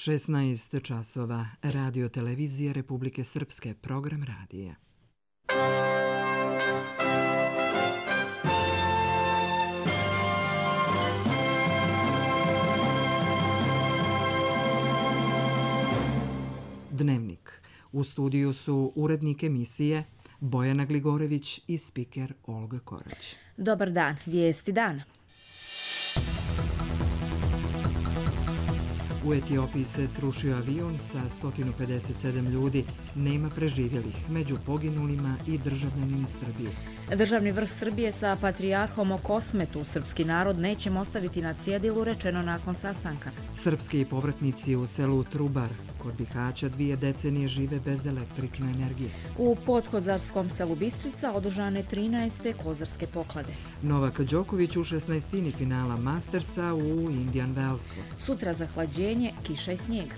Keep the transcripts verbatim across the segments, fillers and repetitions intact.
šesnaest časova, Radio televizije Republike Srpske, program radija. Dnevnik. U studiju su urednik emisije Bojana Gligorević i spiker Olga Korać. Dobar dan, vijesti dana. U Etiopiji se srušio avion sa sto pedeset sedam ljudi, nema preživjelih, među poginulima i državljanin Srbije. Državni vrh Srbije sa patrijarhom o Kosmetu srpski narod nećemo ostaviti na cjedilu, rečeno nakon sastanka. Srpski povratnici u selu Trubar kod Bihaća dvije decenije žive bez električne energije. U podkozarskom selu Bistrica održane trinaeste kozarske poklade. Novak Đoković u šesnaestini finala Mastersa u Indian Wellsu. Sutra zahlađenje, kiša i snijeg.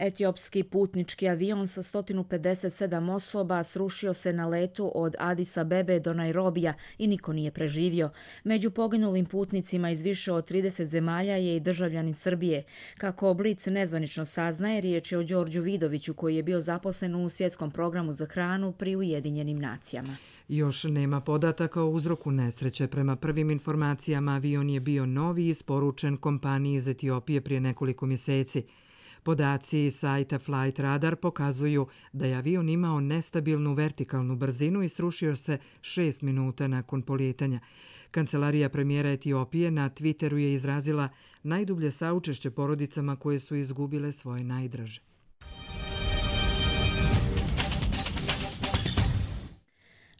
Etiopski putnički avion sa sto pedeset sedam osoba srušio se na letu od Adis Abebe do Nairobija i niko nije preživio. Među poginulim putnicima iz više od trideset zemalja je i državljanin Srbije. Kako Blic nezvanično saznaje, riječ je o Đorđu Vidoviću koji je bio zaposlen u svjetskom programu za hranu pri Ujedinjenim nacijama. Još nema podataka o uzroku nesreće. Prema prvim informacijama avion je bio novi i isporučen kompaniji iz Etiopije prije nekoliko mjeseci. Podaci iz sajta Flight Radar pokazuju da je avion imao nestabilnu vertikalnu brzinu i srušio se šest minuta nakon polijetanja. Kancelarija premijera Etiopije na Twitteru je izrazila najdublje saučešće porodicama koje su izgubile svoje najdraže.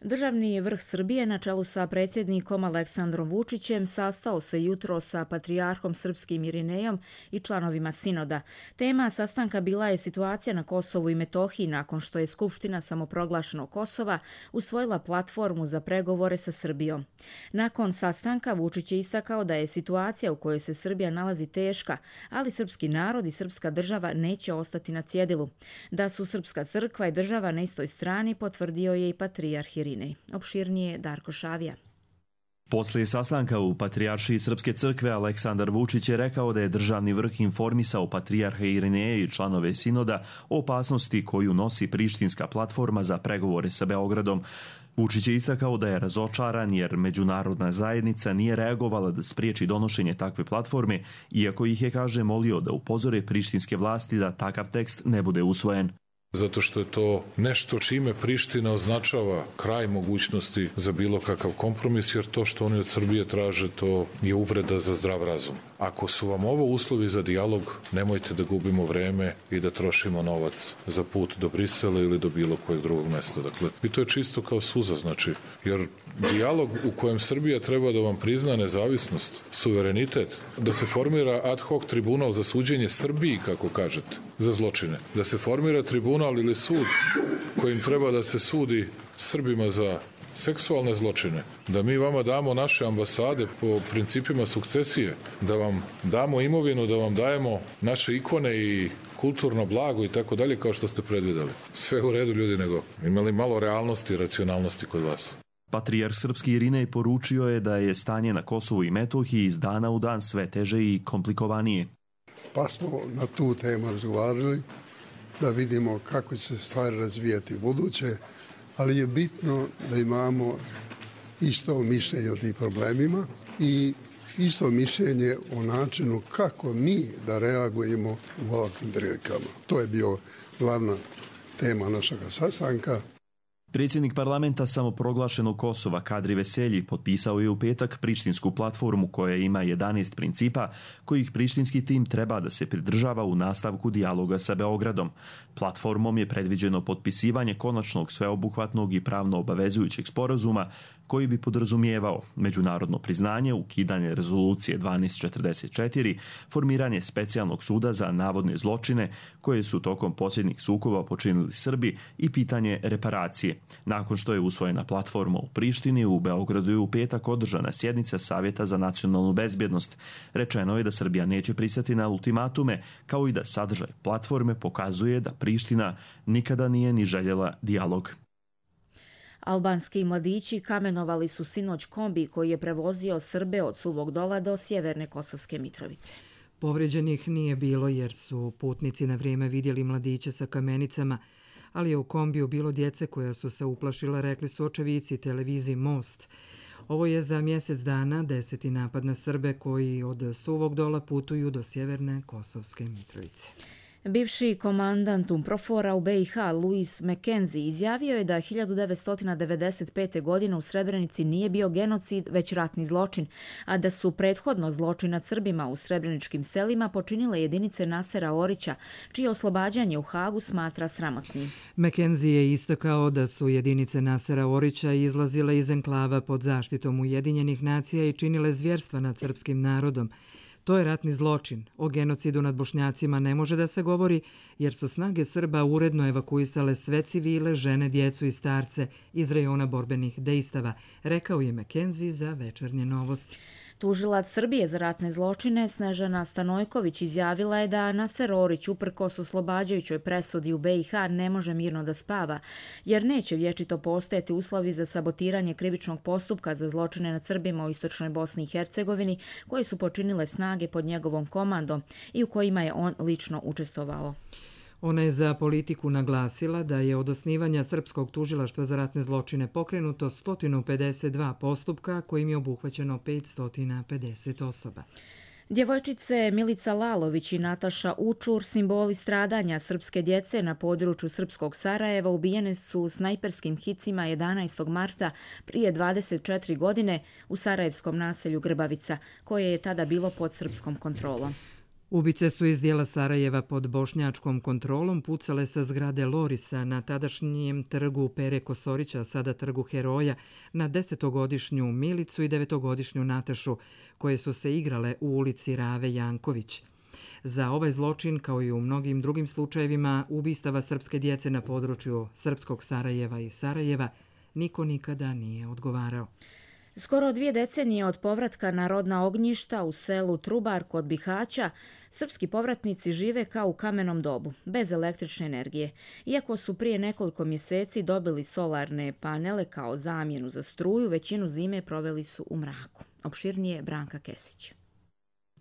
Državni vrh Srbije na čelu sa predsjednikom Aleksandrom Vučićem sastao se jutro sa patrijarhom srpskim Irinejom i članovima sinoda. Tema sastanka bila je situacija na Kosovu i Metohiji nakon što je Skupština samoproglašenog Kosova usvojila platformu za pregovore sa Srbijom. Nakon sastanka Vučić je istakao da je situacija u kojoj se Srbija nalazi teška, ali srpski narod i srpska država neće ostati na cjedilu. Da su srpska crkva i država na istoj strani potvrdio je i patrijarh Irinej. Opširnije Darko Šavija. Poslije sastanka u Patrijaršiji Srpske crkve Aleksandar Vučić je rekao da je državni vrh informisao patrijarha Irineja i članove sinoda o opasnosti koju nosi prištinska platforma za pregovore sa Beogradom. Vučić je istakao da je razočaran jer međunarodna zajednica nije reagovala da spriječi donošenje takve platforme, iako ih je, kaže, molio da upozore prištinske vlasti da takav tekst ne bude usvojen. Zato što je to nešto čime Priština označava kraj mogućnosti za bilo kakav kompromis, jer to što oni od Srbije traže, to je uvreda za zdrav razum. Ako su vam ovo uslovi za dijalog, nemojte da gubimo vreme i da trošimo novac za put do Brisela ili do bilo kojeg drugog mesta. Dakle, i to je čisto kao suza, znači, jer dijalog u kojem Srbija treba da vam prizna nezavisnost, suverenitet, da se formira ad hoc tribunal za suđenje Srbiji, kako kažete, za zločine, da se formira tribunal ili sud kojim treba da se sudi Srbima za seksualne zločine, da mi vama damo naše ambasade po principima sukcesije, da vam damo imovinu, da vam dajemo naše ikone i kulturno blago i tako dalje, kao što ste predvideli. Sve u redu, ljudi, nego imali malo realnosti i racionalnosti kod vas. Patrijarh srpski Irinej poručio je da je stanje na Kosovu i Metohiji iz dana u dan sve teže i komplikovanije. Pa smo na tu temu razgovarali, da vidimo kako će se stvari razvijati u buduće, ali je bitno da imamo isto mišljenje o tim problemima i isto mišljenje o načinu kako mi da reagujemo u ovakvim prilikama. To je bio glavna tema našeg sastanka. Predsjednik parlamenta samoproglašenog Kosova Kadri Veselji potpisao je u petak prištinsku platformu koja ima jedanaest principa kojih prištinski tim treba da se pridržava u nastavku dijaloga sa Beogradom. Platformom je predviđeno potpisivanje konačnog sveobuhvatnog i pravno obavezujućeg sporazuma koji bi podrazumijevao međunarodno priznanje, ukidanje rezolucije dvanaest četrdeset četiri, formiranje specijalnog suda za navodne zločine koje su tokom posljednjih sukoba počinili Srbi i pitanje reparacije. Nakon što je usvojena platforma u Prištini, u Beogradu je u petak održana sjednica Savjeta za nacionalnu bezbjednost. Rečeno je da Srbija neće pristati na ultimatume, kao i da sadržaj platforme pokazuje da Priština nikada nije ni željela dijalog. Albanski mladići kamenovali su sinoć kombi koji je prevozio Srbe od Suvog Dola do sjeverne Kosovske Mitrovice. Povrijeđenih nije bilo jer su putnici na vrijeme vidjeli mladiće sa kamenicama, ali je u kombiju bilo djece koja su se uplašila, rekli su očevici televiziji Most. Ovo je za mjesec dana deseti napad na Srbe koji od Suvog Dola putuju do sjeverne Kosovske Mitrovice. Bivši komandant UNPROFOR-a u B i H Louis McKenzie izjavio je da hiljadu devetsto devedeset pete. godine u Srebrenici nije bio genocid, već ratni zločin, a da su prethodno zločin nad Srbima u srebreničkim selima počinile jedinice Nasera Orića, čije oslobađanje u Hagu smatra sramotnim. McKenzie je istakao da su jedinice Nasera Orića izlazile iz enklava pod zaštitom Ujedinjenih nacija i činile zvjerstva nad srpskim narodom. To je ratni zločin. O genocidu nad Bošnjacima ne može da se govori jer su snage Srba uredno evakuisale sve civile, žene, djecu i starce iz rejona borbenih dejstava, rekao je McKenzie za Večernje novosti. Tužilac Srbije za ratne zločine Snežana Stanojković izjavila je da Naser Orić uprkos oslobađajućoj presudi u B i H ne može mirno da spava, jer neće vječito postojati uslovi za sabotiranje krivičnog postupka za zločine nad Srbima u istočnoj Bosni i Hercegovini koje su počinile snage pod njegovom komandom i u kojima je on lično učestvovao. Ona je za Politiku naglasila da je od osnivanja Srpskog tužilaštva za ratne zločine pokrenuto sto pedeset dva postupka kojim je obuhvaćeno petsto pedeset osoba. Djevojčice Milica Lalović i Nataša Učur, simboli stradanja srpske djece na području srpskog Sarajeva, ubijene su snajperskim hicima jedanaestog marta prije dvadeset četiri godine u sarajevskom naselju Grbavica, koje je tada bilo pod srpskom kontrolom. Ubice su iz dijela Sarajeva pod bošnjačkom kontrolom pucale sa zgrade Lorisa na tadašnjem trgu Pere Kosorića, sada trgu Heroja, na desetogodišnju Milicu i devetogodišnju Natašu, koje su se igrale u ulici Rave Janković. Za ovaj zločin, kao i u mnogim drugim slučajevima ubistava srpske djece na području srpskog Sarajeva i Sarajeva, niko nikada nije odgovarao. Skoro dvije decenije od povratka na rodna ognjišta u selu Trubar kod Bihaća, srpski povratnici žive kao u kamenom dobu, bez električne energije. Iako su prije nekoliko mjeseci dobili solarne panele kao zamjenu za struju, većinu zime proveli su u mraku. Opširnije Branka Kesić.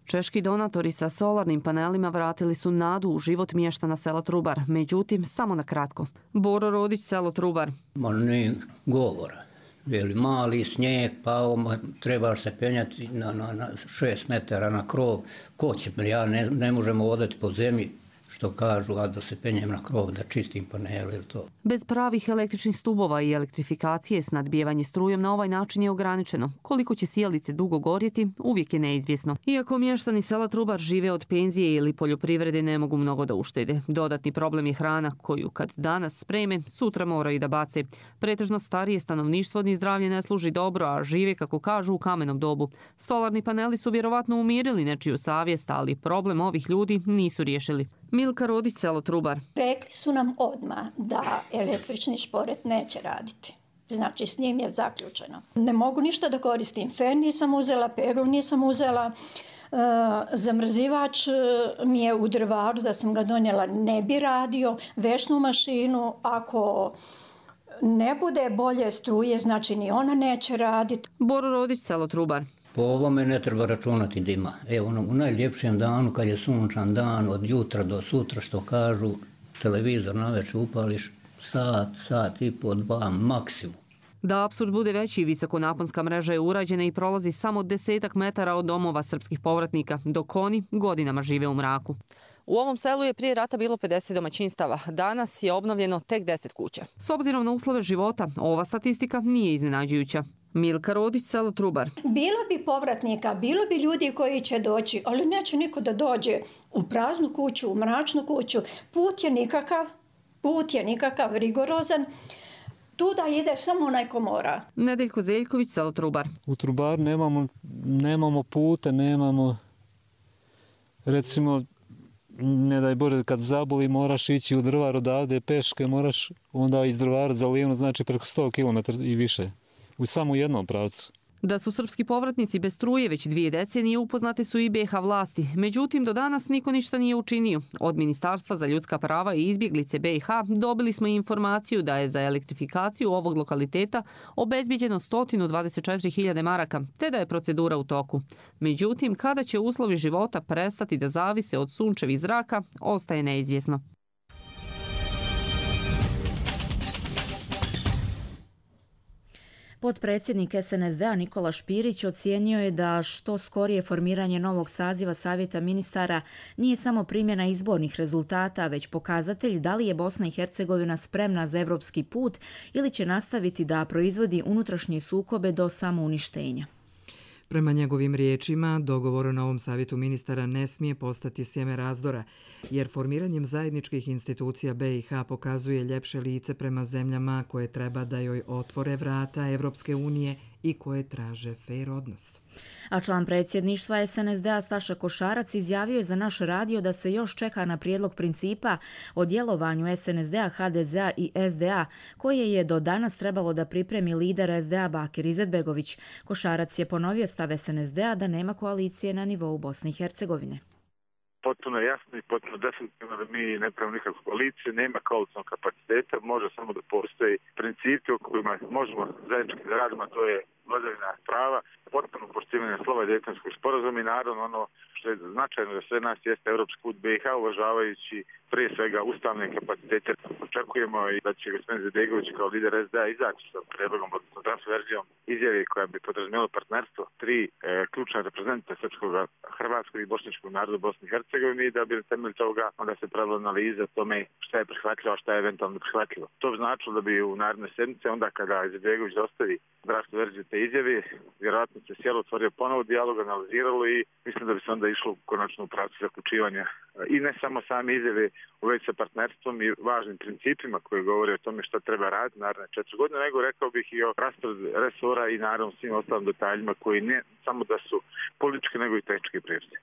Češki donatori sa solarnim panelima vratili su nadu u život mještana sela Trubar, međutim samo na kratko. Boro Rodić, selo Trubar. Ma ne govora. Veli, mali snijeg, pa trebaš se penjati na, na, na šest metara na krov. Ko će, ja ne, ne možemo odati po zemlji, što kažu, a da se penjem na krov, da čistim panele ili to. Bez pravih električnih stubova i elektrifikacije snadbijevanje strujom na ovaj način je ograničeno. Koliko će sijalice dugo gorjeti, uvijek je neizvjesno. Iako mještani sela Trubar žive od penzije ili poljoprivrede, ne mogu mnogo da uštede. Dodatni problem je hrana koju kad danas spreme, sutra moraju da bace. Pretežno starije stanovništvo ni zdravlje ne služi dobro, a žive, kako kažu, u kamenom dobu. Solarni paneli su vjerovatno umirili nečiju savjest, ali problem ovih ljudi nisu riješili. Milka Rodić, selo Trubar. Rekli su nam odmah da električni šporet neće raditi. Znači, s njim je zaključeno. Ne mogu ništa da koristim. Fen nisam uzela, peglu nisam uzela. E, zamrzivač mi je u drvaru, da sam ga donijela, ne bi radio. Vešnu mašinu, ako ne bude bolje struje, znači ni ona neće raditi. Boro Rodić, selo Trubar. Po ovome ne treba računati dima. Evo, u najljepšem danu, kad je sunčan dan, od jutra do sutra, što kažu, televizor navečer upališ sat, sat i po, dva, maksimum. Da apsurd bude veći, visokonaponska mreža je urađena i prolazi samo desetak metara od domova srpskih povratnika, dok oni godinama žive u mraku. U ovom selu je prije rata bilo pedeset domaćinstava. Danas je obnovljeno tek deset kuća. S obzirom na uslove života, ova statistika nije iznenađujuća. Milka Rodić, selo Trubar. Bilo bi povratnika, bilo bi ljudi koji će doći, ali neće niko da dođe u praznu kuću, u mračnu kuću. Put je nikakav, put je nikakav, rigorozan. Tu da ide samo onaj ko mora. Nedeljko Zeljković, selo Trubar. U Trubaru nemamo, nemamo puta, nemamo, recimo, ne daj Bože, kad zaboli moraš ići u Drvar odavde, peške moraš, onda iz Drvara za Livno, znači preko sto kilometara i više. U samo jednom pravcu. Da su srpski povratnici bez struje već dvije decenije upoznate su i B iH vlasti. Međutim, do danas niko ništa nije učinio. Od Ministarstva za ljudska prava i izbjeglice B iH dobili smo informaciju da je za elektrifikaciju ovog lokaliteta obezbijeđeno sto dvadeset četiri hiljade maraka, te da je procedura u toku. Međutim, kada će uslovi života prestati da zavise od sunčevih zraka, ostaje neizvjesno. Potpredsjednik S N S D-a Nikola Špirić ocijenio je da što skorije formiranje novog saziva Savjeta ministara nije samo primjena izbornih rezultata, već pokazatelj da li je Bosna i Hercegovina spremna za evropski put ili će nastaviti da proizvodi unutrašnje sukobe do samouništenja. Prema njegovim riječima, dogovor o novom savjetu ministara ne smije postati sjeme razdora, jer formiranjem zajedničkih institucija B iH pokazuje ljepše lice prema zemljama koje treba da joj otvore vrata Evropske unije i koje traže fer odnos. A član predsjedništva S N S D-a Staša Košarac izjavio je za naš radio da se još čeka na prijedlog principa o djelovanju S N S D-a, H D Z-a i S D A, koje je do danas trebalo da pripremi lider S D A Bakir Izetbegović. Košarac je ponovio stav S N S D-a da nema koalicije na nivou Bosne i Hercegovine. Potpuno jasno i potpuno definitivno da mi ne pravimo nikakvu koaliciju, nema koalicijnog kapaciteta, može samo da postoji principi o kojima možemo zajednički da radimo, a to je vladavina prava, potpuno poštivanje slova Dejtonskog sporazuma i naravno ono što je značajno za sve nas jeste evropski put B iH, uvažavajući prije svega ustavne kapacitete. Očekujemo i da će gospodin Izetbegović kao lider S D A izaći sa predlogom, odnosno transverzijom izjave koja bi podrazumijela partnerstvo tri e, ključna reprezentanta srpskog, hrvatskog i bošnjačkog naroda u Bosni i Hercegovini i da bi na temelju toga onda se pravila analiza tome šta je prihvatljivo, a šta je eventualno prihvatljivo. To bi značilo da bi u naredne sedmice, onda kada Izetbegović dostavi draft verziju te izjave, vjerojatno se sjelo otvorio ponovo dijalog, analiziralo i mislim da bi se onda išlo konačno u pravcu zaključivanja i ne samo same izjave u vezi sa partnerstvom i važnim principima koji govore o tome šta treba raditi naredne četiri godine, nego rekao bih i o rasporedu resora i naravno svim ostalim detaljima koji ne samo da su politički nego i tehnički prirode.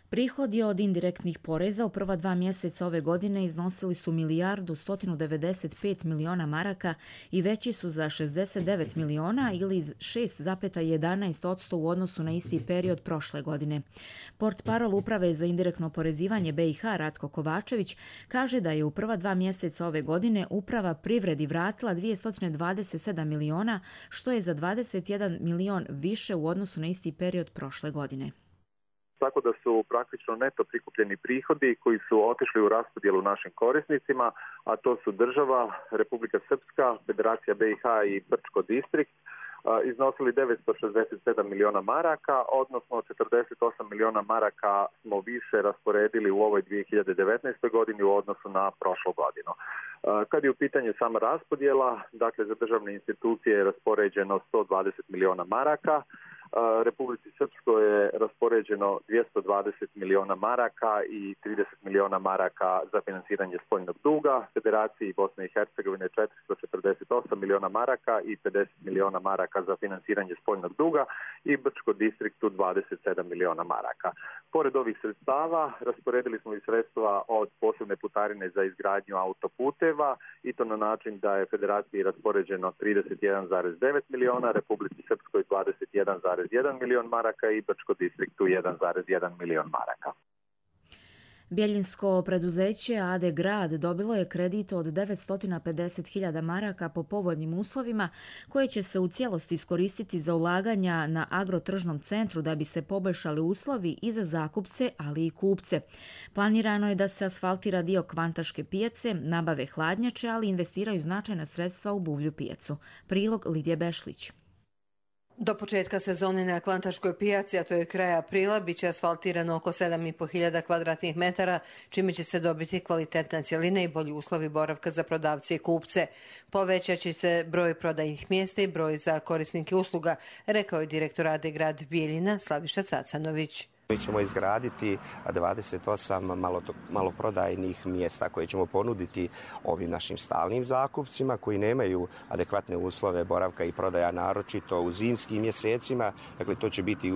Prihodi od indirektnih poreza u prva dva mjeseca ove godine iznosili su milijardu sto devedeset pet miliona maraka i veći su za šezdeset devet miliona ili šest zarez jedanaest posto u odnosu na isti period prošle godine. Portparol Uprave za indirektno porezivanje B iH Ratko Kovačević kaže da je u prva dva mjeseca ove godine uprava privredi vratila dvjesto dvadeset sedam miliona, što je za dvadeset jedan milion više u odnosu na isti period prošle godine. Tako da su praktično neto prikupljeni prihodi koji su otišli u raspodjelu našim korisnicima, a to su država, Republika Srpska, Federacija B iH i Brčko distrikt, iznosili devetsto šezdeset sedam miliona maraka, odnosno četrdeset osam miliona maraka smo više rasporedili u ovoj dvije hiljade devetnaestoj godini u odnosu na prošlu godinu. Kad je u pitanju sama raspodjela, dakle za državne institucije je raspoređeno sto dvadeset miliona maraka, Republici Srpskoj je raspoređeno dvjesto dvadeset miliona maraka i trideset miliona maraka za finansiranje spoljnog duga, Federaciji Bosne i Hercegovine četiristo četrdeset osam miliona maraka i pedeset miliona maraka za finansiranje spoljnog duga i Brčko distriktu dvadeset sedam miliona maraka. Pored ovih sredstava rasporedili smo i sredstva od posebne putarine za izgradnju autoputeva i to na način da je Federaciji raspoređeno trideset jedan zarez devet miliona, Republici Srpskoj dvadeset jedan zarez jedan milion maraka i Brčko distriktu jedan zarez jedan milion maraka. Bjeljinsko preduzeće A D Grad dobilo je kredit od devetsto pedeset hiljada maraka po povoljnim uslovima koje će se u cijelosti iskoristiti za ulaganja na agrotržnom centru da bi se poboljšali uslovi i za zakupce, ali i kupce. Planirano je da se asfaltira dio Kvantaške pijace, nabave hladnjače, ali investiraju značajna sredstva u buvlju pijacu. Prilog Lidije Bešlić. Do početka sezone na Kvantaškoj pijaci, a to je kraj aprila, bit će asfaltirano oko sedam i po hiljada kvadratnih metara, čime će se dobiti kvalitetna cjelina i bolji uslovi boravka za prodavce i kupce. Povećat će se broj prodajnih mjesta i broj za korisnike usluga, rekao je direktor A D Grad Bijeljina Slaviša Cacanović. Mi ćemo izgraditi dvadeset osam maloprodajnih mjesta koje ćemo ponuditi ovim našim stalnim zakupcima koji nemaju adekvatne uslove boravka i prodaja, naročito u zimskim mjesecima. Dakle, to će biti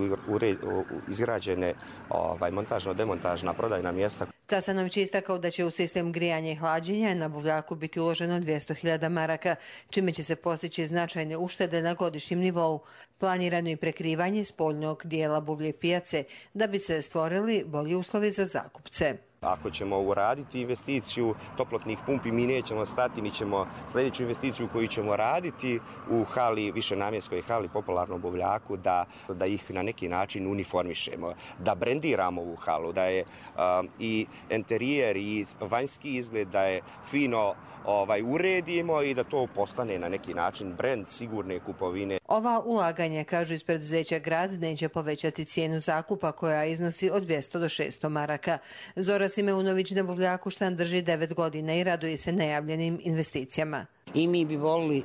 izgrađene ovaj, montažno-demontažna prodajna mjesta. Casanović je istakao da će u sistem grijanja i hlađenja na Buvljaku biti uloženo dvjesto hiljada maraka, čime će se postići značajne uštede na godišnjem nivou. Planirano i prekrivanje spoljnog dijela Buvlje pijace da bi se stvorili bolji uslovi za zakupce. Ako ćemo uraditi investiciju toplotnih pumpi, mi nećemo stati, mi ćemo sljedeću investiciju koju ćemo raditi u hali, višenamjenskoj hali, popularnom Buvljaku, da, da ih na neki način uniformišemo, da brendiramo ovu halu, da je um, i interijer i vanjski izgled, da je fino ovaj, uredimo i da to postane na neki način brend sigurne kupovine. Ova ulaganja, kažu iz preduzeća Grad, neće povećati cijenu zakupa koja iznosi od dvjesto do šesto maraka. Zora Simeunović na Buvljaku štan drži devet godina i raduje se najavljenim investicijama. I mi bi volili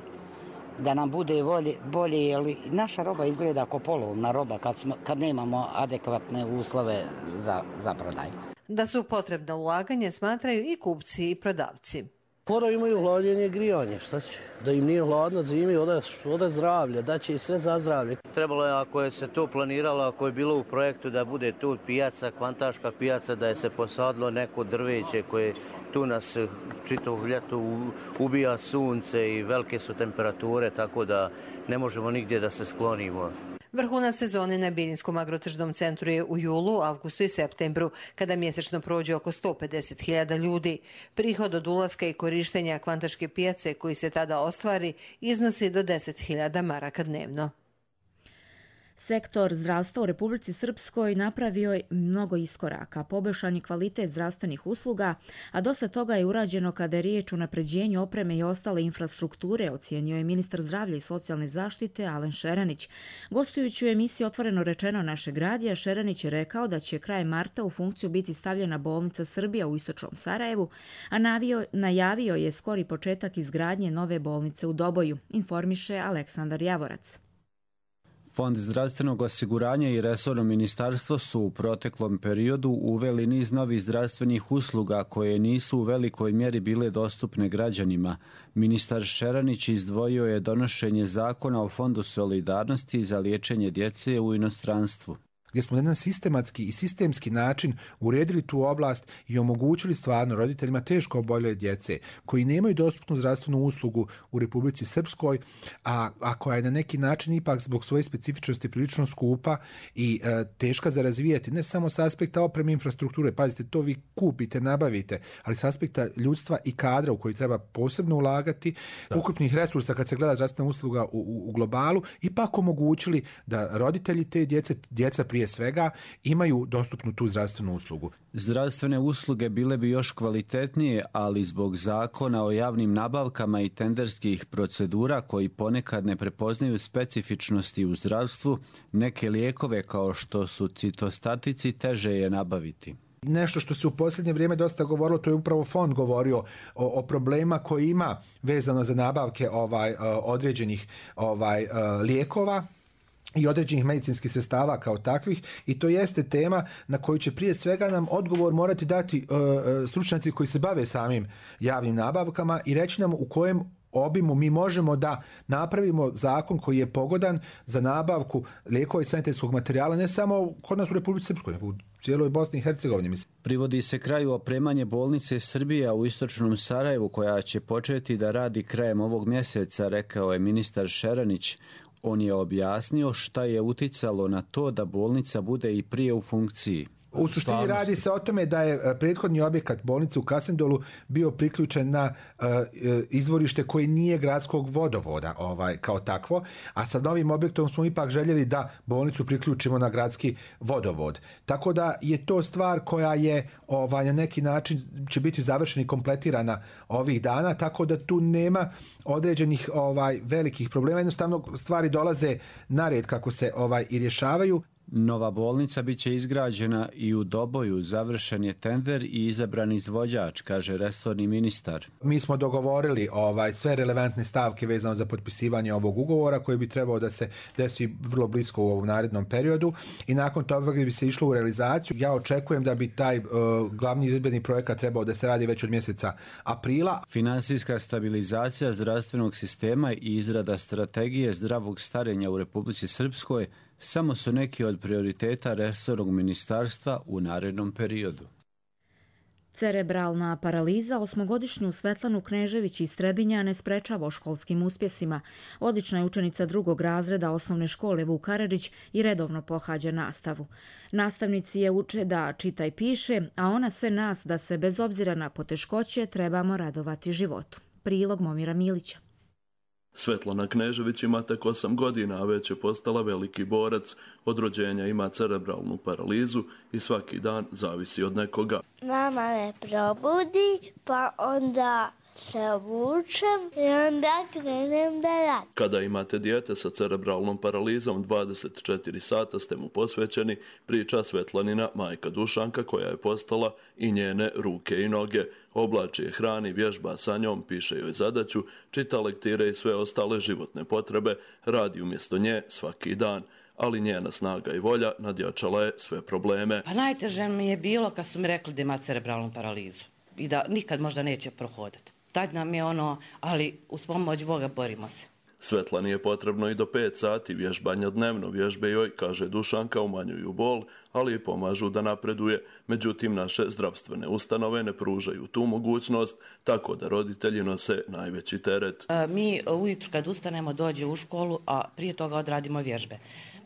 da nam bude bolje, bolje jer naša roba izgleda kao polovna roba kad, smo, kad nemamo adekvatne uslove za, za prodaju. Da su potrebna ulaganja smatraju i kupci i prodavci. Moraju imaju hlađenje i grijanje, šta će? Da im nije hladno zimi, oda, oda zdravlje, da će i sve za zdravlje. Trebalo je, ako je se to planiralo, ako je bilo u projektu da bude tu pijaca, kvantaška pijaca, da je se posadilo neko drveće koje tu nas čitavo ljeto ubija sunce i velike su temperature, tako da ne možemo nigdje da se sklonimo. Vrhunac sezone na Bilinskom agrotržnom centru je u julu, avgustu i septembru, kada mjesečno prođe oko sto pedeset hiljada ljudi. Prihod od ulaska i korištenja kvantaške pijace koji se tada ostvari iznosi do deset hiljada maraka dnevno. Sektor zdravstva u Republici Srpskoj napravio je mnogo iskoraka, poboljšan je kvalitet zdravstvenih usluga, a dosta toga je urađeno kada je riječ o unapređenju opreme i ostale infrastrukture, ocijenio je ministar zdravlja i socijalne zaštite Alen Šeranić. Gostujući u emisiji Otvoreno rečeno našeg radija, Šeranić je rekao da će krajem marta u funkciju biti stavljena bolnica Srbija u istočnom Sarajevu, a navio, najavio je skori početak izgradnje nove bolnice u Doboju, informiše Aleksandar Javorac. Fond zdravstvenog osiguranja i resorno ministarstvo su u proteklom periodu uveli niz novih zdravstvenih usluga koje nisu u velikoj mjeri bile dostupne građanima. Ministar Šeranić izdvojio je donošenje zakona o Fondu solidarnosti za liječenje djece u inostranstvu, gdje smo na jedan sistematski i sistemski način uredili tu oblast i omogućili stvarno roditeljima teško oboljele djece koji nemaju dostupnu zdravstvenu uslugu u Republici Srpskoj, a, a koja je na neki način ipak zbog svoje specifičnosti prilično skupa i e, teška za razvijati, ne samo s aspekta opreme infrastrukture, pazite, to vi kupite, nabavite, ali s aspekta ljudstva i kadra u koji treba posebno ulagati, ukupnih resursa kad se gleda zdravstvena usluga u, u, u globalu, ipak omogućili da roditelji te djece, djeca prije svega imaju dostupnu tu zdravstvenu uslugu. Zdravstvene usluge bile bi još kvalitetnije, ali zbog zakona o javnim nabavkama i tenderskih procedura koji ponekad ne prepoznaju specifičnosti u zdravstvu, neke lijekove kao što su citostatici teže je nabaviti. Nešto što se u posljednje vrijeme dosta govorilo, to je upravo fond govorio o, o problema koji ima vezano za nabavke ovaj određenih ovaj lijekova i određenih medicinskih sredstava kao takvih, i to jeste tema na koju će prije svega nam odgovor morati dati uh, stručnjaci koji se bave samim javnim nabavkama i reći nam u kojem obimu mi možemo da napravimo zakon koji je pogodan za nabavku lijekova i sanitetskog materijala ne samo kod nas u Republici Srpskoj, nego u cijeloj Bosni i Hercegovini. Mislim. Privodi se kraju opremanje bolnice Srbija u istočnom Sarajevu koja će početi da radi krajem ovog mjeseca, rekao je ministar Šeranić. On je objasnio šta je uticalo na to da bolnica bude i prije u funkciji. U suštini radi se o tome da je prethodni objekat bolnice u Kasendolu bio priključen na uh, izvorište koje nije gradskog vodovoda ovaj, kao takvo, a sa novim objektom smo ipak željeli da bolnicu priključimo na gradski vodovod. Tako da je to stvar koja je ovaj, na neki način će biti završena i kompletirana ovih dana, tako da tu nema određenih ovaj, velikih problema. Jednostavno stvari dolaze na red kako se ovaj, i rješavaju. Nova bolnica biće izgrađena i u Doboju, završen je tender i izabran izvođač, kaže resorni ministar. Mi smo dogovorili ovaj sve relevantne stavke vezano za potpisivanje ovog ugovora koji bi trebao da se desi vrlo blisko u ovom narednom periodu i nakon toga bi se išlo u realizaciju. Ja očekujem da bi taj uh, glavni izvedbeni projekat trebao da se radi već od mjeseca aprila. Finansijska stabilizacija zdravstvenog sistema i izrada strategije zdravog starenja u Republici Srpskoj samo su neki od prioriteta resornog ministarstva u narednom periodu. Cerebralna paraliza osmogodišnju Svetlanu Knežević iz Trebinja ne sprečava o školskim uspjesima. Odlična je učenica drugog razreda osnovne škole Vuk Karadžić i redovno pohađa nastavu. Nastavnici je uče da čita i piše, a ona sve nas da se bez obzira na poteškoće trebamo radovati životu. Prilog Momira Milića. Svetlana Knežević ima tek osam godina, a već je postala veliki borac. Od rođenja ima cerebralnu paralizu i svaki dan zavisi od nekoga. Mama me probudi, pa onda se obučem i onda krenem da radim. Kada imate dijete sa cerebralnom paralizom, dvadeset četiri sata ste mu posvećeni, priča Svetlanina majka Dušanka, koja je postala i njene ruke i noge. Oblači je, hrani, vježba sa njom, piše joj zadaću, čita lektire i sve ostale životne potrebe, radi umjesto nje svaki dan. Ali njena snaga i volja nadjačala je sve probleme. Pa najteže mi je bilo kad su mi rekli da ima cerebralnu paralizu i da nikad možda neće prohoditi. Tad nam je ono, ali uz pomoć Boga borimo se. Svetlani je potrebno i do pet sati vježbanja dnevno. Vježbe joj, kaže Dušanka, umanjuju bol, ali i pomažu da napreduje. Međutim, naše zdravstvene ustanove ne pružaju tu mogućnost, tako da roditelji nose najveći teret. Mi ujutru kad ustanemo dođe u školu, a prije toga odradimo vježbe.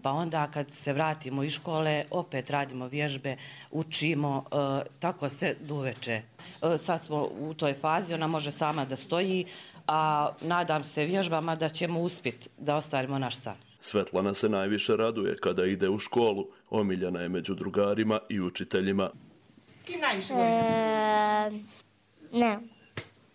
Pa onda kad se vratimo iz škole, opet radimo vježbe, učimo, e, tako se duveče. E, sad smo u toj fazi, ona može sama da stoji, a nadam se vježbama da ćemo uspjeti da ostvarimo naš san. Svetlana se najviše raduje kada ide u školu. Omiljena je među drugarima i učiteljima. S kim najviše voliš da se družiš? Ne.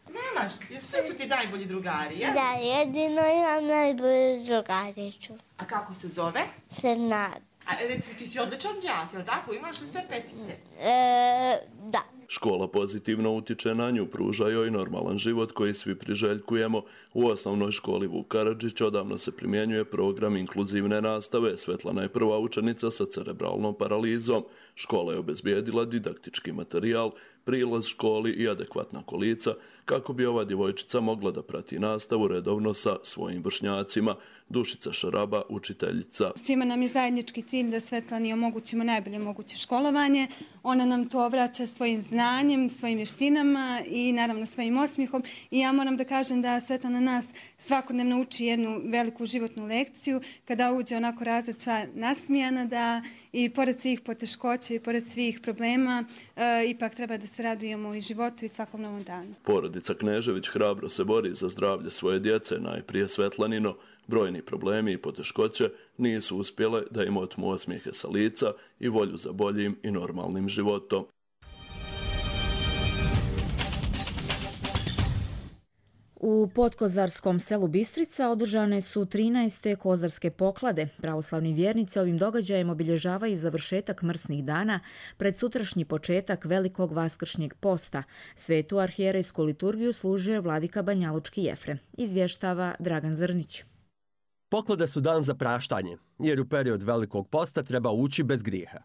Nemaš? Sve su ti najbolji drugari, ja? Da, jedino imam najbolju drugariću. A kako se zove? Senad. A recimo ti si odličan đak, je li tako? Imaš li sve petice? E, da. Škola pozitivno utiče na nju, pruža joj normalan život koji svi priželjkujemo. U osnovnoj školi Vuk Karadžić odavno se primjenjuje program inkluzivne nastave. Svetlana je prva učenica sa cerebralnom paralizom. Škola je obezbijedila didaktički materijal, prilaz školi i adekvatna kolica kako bi ova djevojčica mogla da prati nastavu redovno sa svojim vršnjacima. Dušica Šaraba, učiteljica. Svima nam je zajednički cilj da Svetlani omogućimo najbolje moguće školovanje. Ona nam to vraća svojim znanjem, svojim vještinama i naravno svojim osmijehom. I ja moram da kažem da Svetlana nas svakodnevno uči jednu veliku životnu lekciju. Kada uđe onako razred sva nasmijana, da i pored svih poteškoća i pored svih problema e, ipak treba da se radujemo i životu i svakom novom danu. Porodica Knežević hrabro se bori za zdravlje svoje djece, najprije Svetlanino. Brojni problemi i poteškoće nisu uspjele da im otmu osmijehe sa lica i volju za boljim i normalnim životom. U podkozarskom selu Bistrica održane su trinaeste kozarske poklade. Pravoslavni vjernici ovim događajem obilježavaju završetak mrsnih dana pred sutrašnji početak velikog vaskršnjeg posta. Svetu arhijerejsku liturgiju služio vladika Banjalučki Jefrem. Izvještava Dragan Zrnić. Poklade su dan za praštanje, jer u period velikog posta treba ući bez grijeha.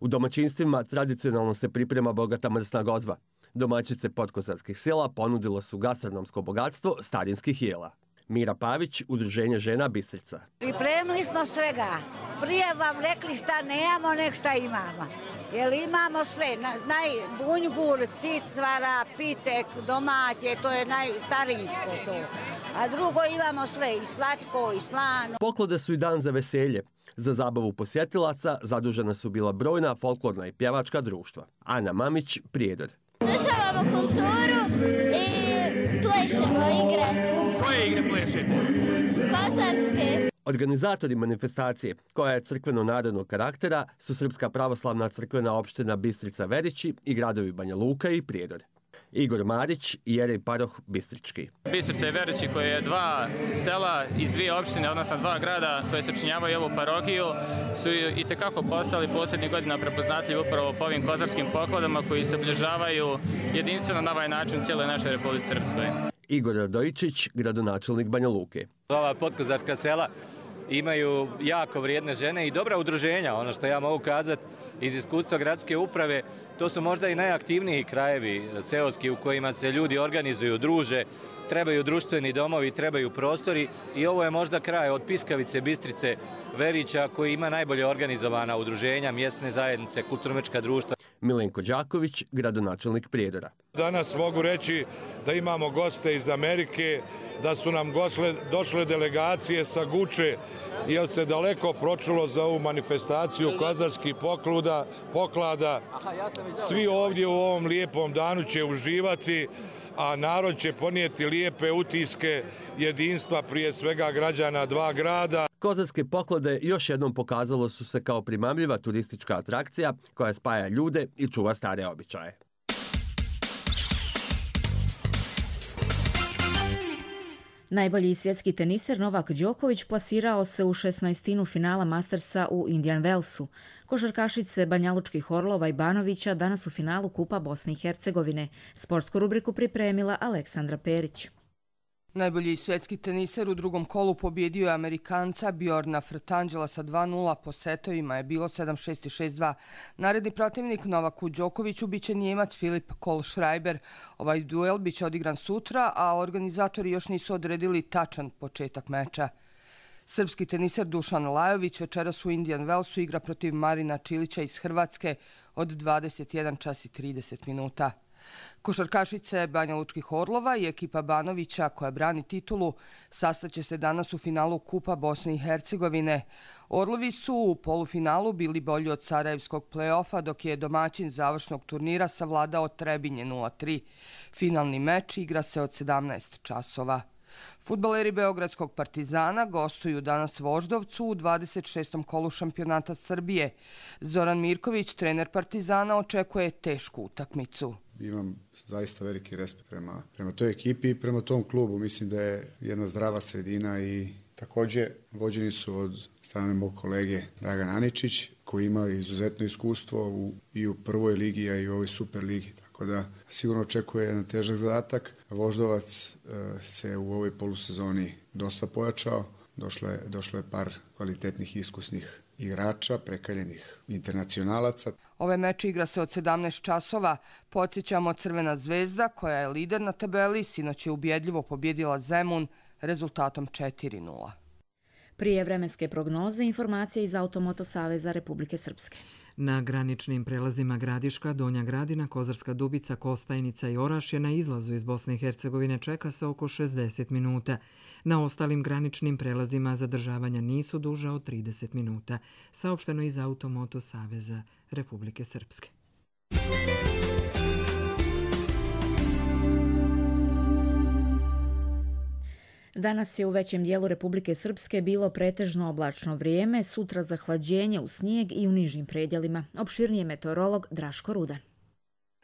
U domaćinstvima tradicionalno se priprema bogata mrsna gozba. Domaćice podkozarskih sela ponudilo su gastronomsko bogatstvo starinskih jela. Mira Pavić, Udruženje žena Bistrica. Pripremili smo svega. Prije vam rekli šta nemamo, nek šta imamo. Jer imamo sve. Znaj, bunjgur, cicvara, pitek, domaće, to je najstarinsko to. A drugo imamo sve, i slatko, i slano. Poklade su i dan za veselje. Za zabavu posjetilaca zadužena su bila brojna folklorna i pjevačka društva. Ana Mamić, Prijedor. Državamo kulturu i plešemo igre. Koje igre plešemo? Kozarske. Organizatori manifestacije, koja je crkveno-narodnog karaktera, su Srpska pravoslavna crkvena opština Bistrica Verići i gradovi Banja Luka i Prijedor. Igor Marić, Jerej Paroh Bistrički. Bistrica i Verići, koje je dva sela iz dvije opštine, odnosno dva grada koje sačinjavaju ovu parohiju, su i tekako postali posljednjih godina prepoznatljivi upravo po ovim kozarskim pokladama koji se obilježavaju jedinstveno na ovaj način cijeloj našoj Republici Srpskoj. Igor Radojičić, gradonačelnik Banja Luke. Ova podkozarska sela imaju jako vrijedne žene i dobra udruženja. Ono što ja mogu kazati iz iskustva gradske uprave, to su možda i najaktivniji krajevi seoski u kojima se ljudi organizuju, druže, trebaju društveni domovi, trebaju prostori i ovo je možda kraj od Piskavice, Bistrice, Verića koji ima najbolje organizovana udruženja, mjesne zajednice, kulturno-umjetnička društva. Milenko Đaković, gradonačelnik Prijedora. Danas mogu reći da imamo goste iz Amerike, da su nam gosle, došle delegacije sa Guče, jer se daleko pročulo za ovu manifestaciju kozarskih pokluda, poklada. Svi ovdje u ovom lijepom danu će uživati, a narod će ponijeti lijepe utiske jedinstva prije svega građana dva grada. Kozarske poklade još jednom pokazalo su se kao primamljiva turistička atrakcija koja spaja ljude i čuva stare običaje. Najbolji svjetski teniser Novak Đoković plasirao se u šesnaestinu finala Mastersa u Indian Wellsu. Košarkašice Banjalučkih Orlova i Banovića danas u finalu Kupa Bosne i Hercegovine. Sportsku rubriku pripremila Aleksandra Perić. Najbolji svjetski teniser u drugom kolu pobjedio je Amerikanca Bjorna Frtangela sa dva nula, po setovima je bilo sedam šest i šest dva. Naredni protivnik Novaku Đokoviću biće Njemac Filip Kohlschreiber. Ovaj duel biće odigran sutra, a organizatori još nisu odredili tačan početak meča. Srpski teniser Dušan Lajović večeras u Indian Wellsu igra protiv Marina Čilića iz Hrvatske od dvadeset jedan čas i trideset minuta. Košarkašice Banjalučkih Orlova i ekipa Banovića, koja brani titulu, sastaće se danas u finalu Kupa Bosne i Hercegovine. Orlovi su u polufinalu bili bolji od sarajevskog play-offa, dok je domaćin završnog turnira savladao Trebinje nula tri. Finalni meč igra se od sedamnaest časova. Fudbaleri Beogradskog Partizana gostuju danas Voždovcu u dvadeset šestom kolu šampionata Srbije. Zoran Mirković, trener Partizana, očekuje tešku utakmicu. Imam zaista veliki respekt prema, prema toj ekipi i prema tom klubu. Mislim da je jedna zdrava sredina i također vođeni su od strane mog kolege Dragan Aničić, koji ima izuzetno iskustvo u, i u prvoj ligi, a i u ovoj super ligi. Tako da sigurno očekuje jedan težak zadatak. Voždovac e, se u ovoj polusezoni dosta pojačao. Došlo je, došlo je par kvalitetnih iskusnih igrača, prekaljenih internacionalaca. Ove meče igra se od sedamnaest časova. Podsjećamo, Crvena zvezda, koja je lider na tabeli, sinoć je ubjedljivo pobjedila Zemun rezultatom četiri nula. Prije vremenske prognoze, informacije iz Automoto Saveza Republike Srpske. Na graničnim prelazima Gradiška, Donja Gradina, Kozarska Dubica, Kostajnica i Orašje na izlazu iz Bosne i Hercegovine čeka se oko šezdeset minuta. Na ostalim graničnim prelazima zadržavanja nisu duža od trideset minuta, saopšteno iz Automoto Saveza Republike Srpske. Danas je u većem dijelu Republike Srpske bilo pretežno oblačno vrijeme, sutra zahlađenje u snijeg i u nižim predjelima. Opširnije meteorolog Draško Rudan.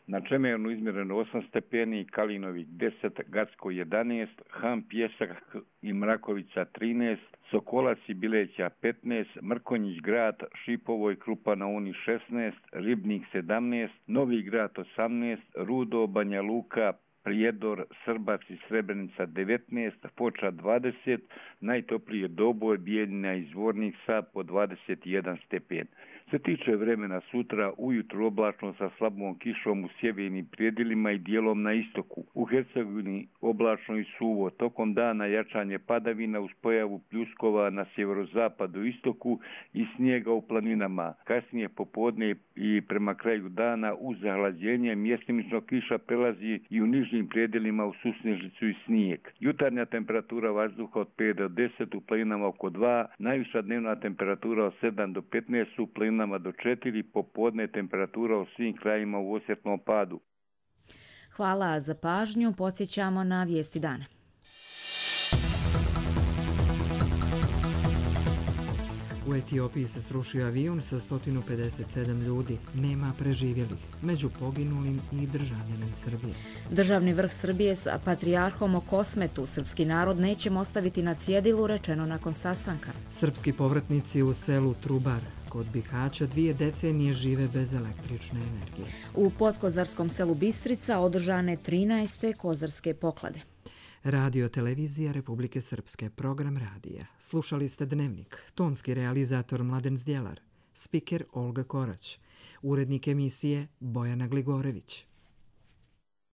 Na Čemernu izmjereno osam stepeni, Kalinović deset, Gacko jedanaest, Ham, Pjesak i Mrakovica trinaest, Sokolac i Bileća petnaest, Mrkonjić grad, Šipovo i Krupa na Uni šesnaest, Ribnik sedamnaest, Novi grad osamnaest, Rudo, Banja Luka, Prijedor, Srbac i Srebrenica devetnaest, Foča dvadeset, najtoplije Doboj, Bijeljina i Zvornica po dvadeset jedan stepen. Se tiče vremena sutra, ujutro oblačno sa slabom kišom u sjevernim predjelima i dijelom na istoku. U Hercegovini oblačno i suvo, tokom dana jačanje padavina uz pojavu pljuskova na sjeverozapadu istoku i snijega u planinama. Kasnije popodne i prema kraju dana uz zahlađenje mjestimično kiša prelazi i u nižim predjelima u susnežicu i snijeg. Jutarnja temperatura vazduha od pet do deset, u planinama oko dva, najviša dnevna temperatura od sedam do petnaest, u planinama do četiri, popodne temperatura u svim krajima u osjetnom padu. Hvala za pažnju, podsjećamo na vijesti dana. U Etiopiji se srušio avion sa sto pedeset sedam ljudi. Nema preživjelih. Među poginulim i državljanin Srbije. Državni vrh Srbije sa patrijarhom o Kosmetu srpski narod nećemo ostaviti na cjedilu, rečeno nakon sastanka. Srpski povratnici u selu Trubar kod Bihaća dvije decenije žive bez električne energije. U podkozarskom selu Bistrica održane trinaeste kozarske poklade. Radio televizija Republike Srpske, program radija. Slušali ste Dnevnik, tonski realizator Mladen Zdjelar, spiker Olga Korać, urednik emisije Bojana Gligorević.